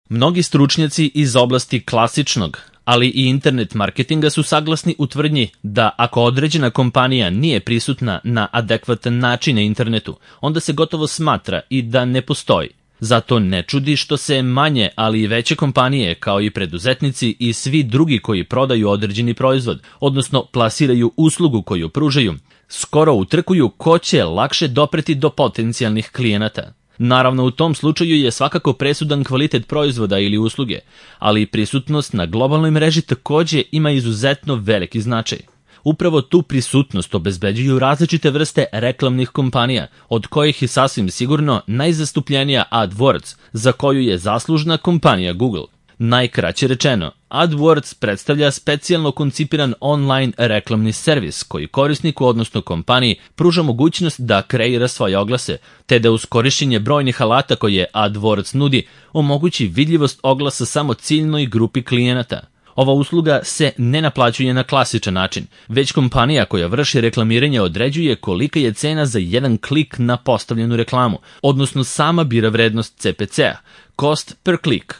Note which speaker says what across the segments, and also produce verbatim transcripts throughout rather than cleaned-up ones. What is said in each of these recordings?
Speaker 1: Mnogi stručnjaci iz oblasti klasičnog, ali i internet marketinga su saglasni u tvrdnji da ako određena kompanija nije prisutna na adekvatan način na internetu, onda se gotovo smatra i da ne postoji. Zato ne čudi što se manje, ali i veće kompanije, kao i preduzetnici i svi drugi koji prodaju određeni proizvod, odnosno plasiraju uslugu koju pružaju, skoro utrkuju ko će lakše dopreti do potencijalnih klijenata. Naravno, u tom slučaju je svakako presudan kvalitet proizvoda ili usluge, ali i prisutnost na globalnoj mreži takođe ima izuzetno veliki značaj. Upravo tu prisutnost obezbeđuju različite vrste reklamnih kompanija, od kojih je sasvim sigurno najzastupljenija AdWords, za koju je zaslužna kompanija Google. Najkraće rečeno, AdWords predstavlja specijalno koncipiran online reklamni servis koji korisniku, odnosno kompaniji, pruža mogućnost da kreira svoje oglase, te da uz korišćenje brojnih alata koje AdWords nudi, omogući vidljivost oglasa samo ciljnoj grupi klijenata. Ova usluga se ne naplaćuje na klasičan način, već kompanija koja vrši reklamiranje određuje kolika je cena za jedan klik na postavljenu reklamu, odnosno sama bira vrednost C P C-a, cost per click.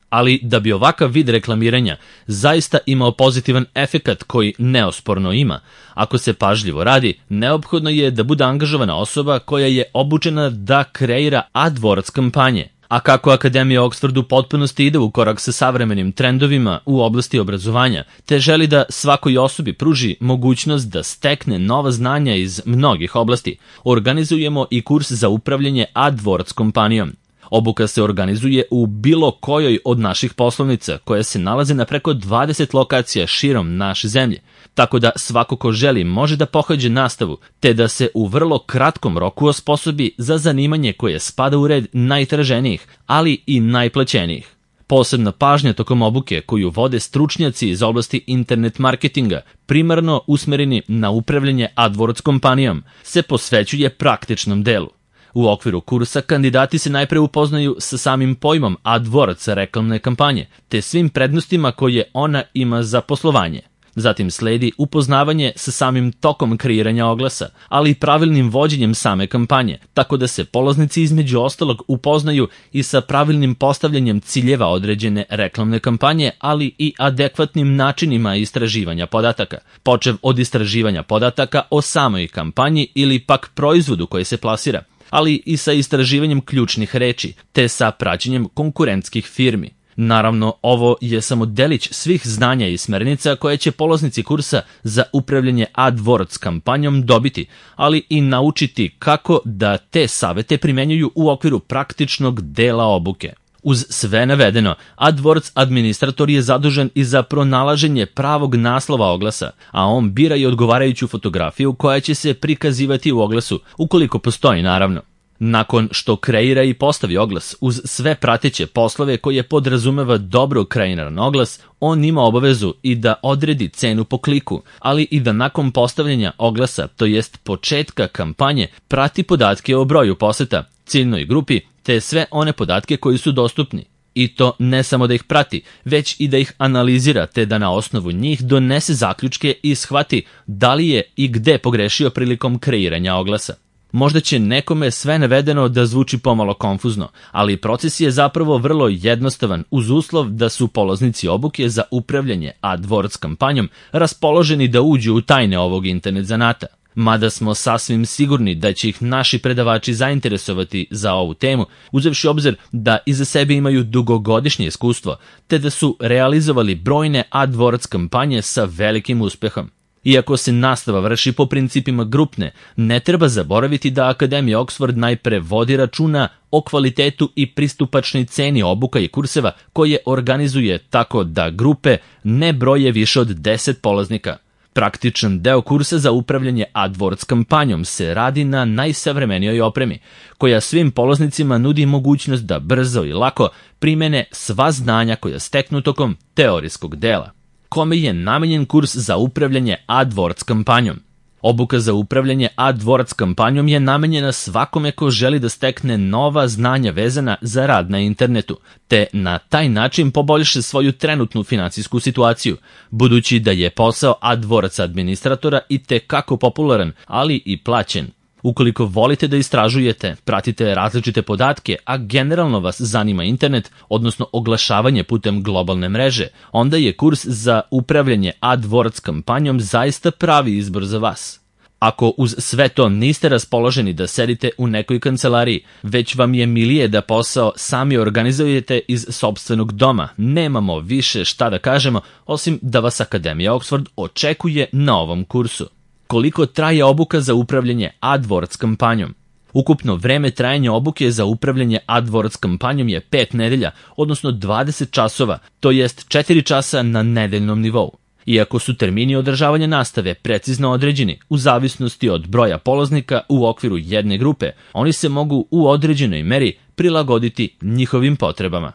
Speaker 1: Ali da bi ovakav vid reklamiranja zaista imao pozitivan efekat koji neosporno ima, ako se pažljivo radi, neophodno je da bude angažovana osoba koja je obučena da kreira AdWords kampanje. A kako Akademija Oxford u potpunosti ide u korak sa savremenim trendovima u oblasti obrazovanja, te želi da svakoj osobi pruži mogućnost da stekne nova znanja iz mnogih oblasti, organizujemo i kurs za upravljanje AdWords kompanijom. Obuka se organizuje u bilo kojoj od naših poslovnica, koje se nalaze na preko dvadeset lokacija širom naše zemlje, tako da svako ko želi može da pohađe nastavu, te da se u vrlo kratkom roku osposobi za zanimanje koje spada u red najtraženijih, ali i najplaćenijih. Posebna pažnja tokom obuke koju vode stručnjaci iz oblasti internet marketinga, primarno usmereni na upravljanje AdWords kompanijom, se posvećuje praktičnom delu. U okviru kursa kandidati se najpre upoznaju sa samim pojmom AdWords reklamne kampanje, te svim prednostima koje ona ima za poslovanje. Zatim sledi upoznavanje sa samim tokom kreiranja oglasa, ali i pravilnim vođenjem same kampanje, tako da se polaznici između ostalog upoznaju i sa pravilnim postavljanjem ciljeva određene reklamne kampanje, ali i adekvatnim načinima istraživanja podataka, počev od istraživanja podataka o samoj kampanji ili pak proizvodu koji se plasira, ali i sa istraživanjem ključnih reči, te sa praćenjem konkurentskih firmi. Naravno, ovo je samo delić svih znanja i smernica koje će polaznici kursa za upravljanje AdWords kampanjom dobiti, ali i naučiti kako da te savete primenjuju u okviru praktičnog dela obuke. Uz sve navedeno, AdWords administrator je zadužen i za pronalaženje pravog naslova oglasa, a on bira i odgovarajuću fotografiju koja će se prikazivati u oglasu, ukoliko postoji naravno. Nakon što kreira i postavi oglas, uz sve prateće poslove koje podrazumeva dobro kreiran oglas, on ima obavezu i da odredi cenu po kliku, ali i da nakon postavljanja oglasa, to jest početka kampanje, prati podatke o broju poseta, ciljnoj grupi, te sve one podatke koji su dostupni. I to ne samo da ih prati, već i da ih analizira, te da na osnovu njih donese zaključke i shvati da li je i gde pogrešio prilikom kreiranja oglasa. Možda će nekome sve navedeno da zvuči pomalo konfuzno, ali proces je zapravo vrlo jednostavan uz uslov da su polaznici obuke za upravljanje AdWords kampanjom raspoloženi da uđu u tajne ovog internet zanata. Mada smo sasvim sigurni da će ih naši predavači zainteresovati za ovu temu, uzevši obzir da iza sebe imaju dugogodišnje iskustvo, te da su realizovali brojne AdWords kampanje sa velikim uspehom. Iako se nastava vrši po principima grupne, ne treba zaboraviti da Akademija Oxford najpre vodi računa o kvalitetu i pristupačnoj ceni obuka i kurseva koje organizuje tako da grupe ne broje više od deset polaznika. Praktičan deo kursa za upravljanje AdWords kampanjom se radi na najsavremenijoj opremi, koja svim polaznicima nudi mogućnost da brzo i lako primene sva znanja koja steknu tokom teorijskog dela. Kome je namenjen kurs za upravljanje AdWords kampanjom? Obuka za upravljanje AdWords kampanjom je namenjena svakome ko želi da stekne nova znanja vezana za rad na internetu, te na taj način poboljša svoju trenutnu finansijsku situaciju, budući da je posao AdWords administratora i tekako popularan, ali i plaćen. Ukoliko volite da istražujete, pratite različite podatke, a generalno vas zanima internet, odnosno oglašavanje putem globalne mreže, onda je kurs za upravljanje AdWords kampanjom zaista pravi izbor za vas. Ako uz sve to niste raspoloženi da sedite u nekoj kancelariji, već vam je milije da posao sami organizujete iz sopstvenog doma, nemamo više šta da kažemo, osim da vas Akademija Oxford očekuje na ovom kursu. Koliko traje obuka za upravljanje AdWords kampanjom? Ukupno vreme trajanja obuke za upravljanje AdWords kampanjom je pet nedelja, odnosno dvadeset časova, to jest četiri časa na nedeljnom nivou. Iako su termini održavanja nastave precizno određeni u zavisnosti od broja polaznika u okviru jedne grupe, oni se mogu u određenoj meri prilagoditi njihovim potrebama.